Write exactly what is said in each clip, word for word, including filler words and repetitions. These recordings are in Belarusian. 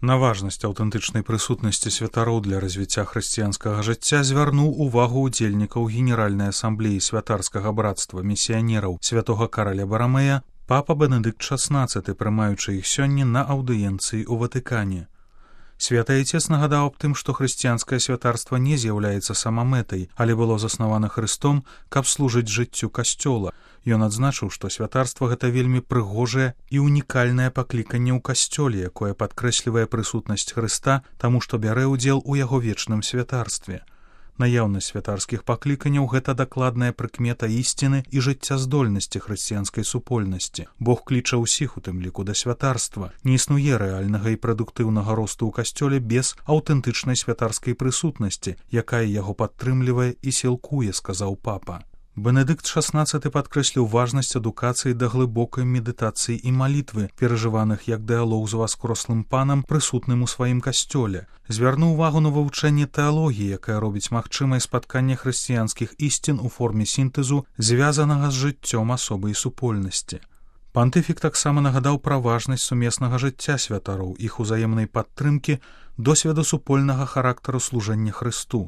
На важнасць аўтэнтычнай прысутнасці святароў для развіцця хрысціянскага жыцця звярнуў увагу ўдзельнікаў Генеральнай асамблеі святарскага брацтва місіянераў святога Караля Барамея папа Бенедыкт шаснаццаты, прымаючы іх сёння на аўдыенцыі ў Ватыкане. Святы Айцец нагадаў аб тым, што хрысціянскае святарства не з'яўляецца самамэтай, але было заснавана Хрыстом, каб служыць жыццю Касцёла. Ён адзначыў, што святарства гэта вельмі прыгожае і унікальнае пакліканне ў касцёле, якое падкрэслівае прысутнасць Хрыста, таму што бярэ ўдзел у яго вечным святарстве. Наяўнасць святарскіх пакліканняў гэта дакладная прыкмета ісціны і жыццяздольнасці хрысціянскай супольнасці. Бог кліча ўсіх, у тым ліку да святарства. Не існуе рэальнага і прадуктыўнага росту ў касцёле без аўтэнтычнай святарскай прысутнасці, якая яго падтрымлівае і сілкуе, сказаў папа. Бенедыкт шаснаццаты падкрэсліў важнасць адукацыі да глыбокай медытацыі і малітвы, перажываных як дыалог з васкрослым панам, прысутным у сваім касцёле. Звярнуў увагу на вывучэнне тэалогіі, якая робіць магчымае спатканне хрысціянскіх ісцін у форме сінтэзу, звязанага з жыццём асобы і супольнасці. Пантыфік таксама нагадаў пра важнасць сумеснага жыцця святароў, іх узаемнай падтрымкі, досведу супольнага характару служэння Хрысту.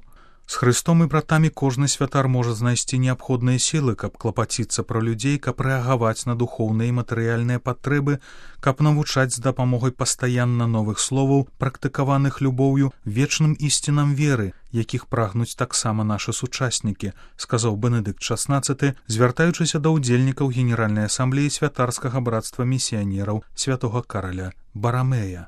З Хрыстом і братамі кожны святар можа знайсці неабходныя сілы, каб клапаціцца пра людзей, каб рэагаваць на духоўныя і матэрыяльныя патрэбы, каб навучаць з дапамогай пастаянна новых словаў, практыкаваных любоўю, вечным ісцінам веры, якіх прагнуць таксама нашы сучаснікі, сказаў Бенедыкт шаснаццаты, звяртаючыся да ўдзельнікаў Генеральнай асамблеі святарскага брацтва місіянераў святога Караля Барамея.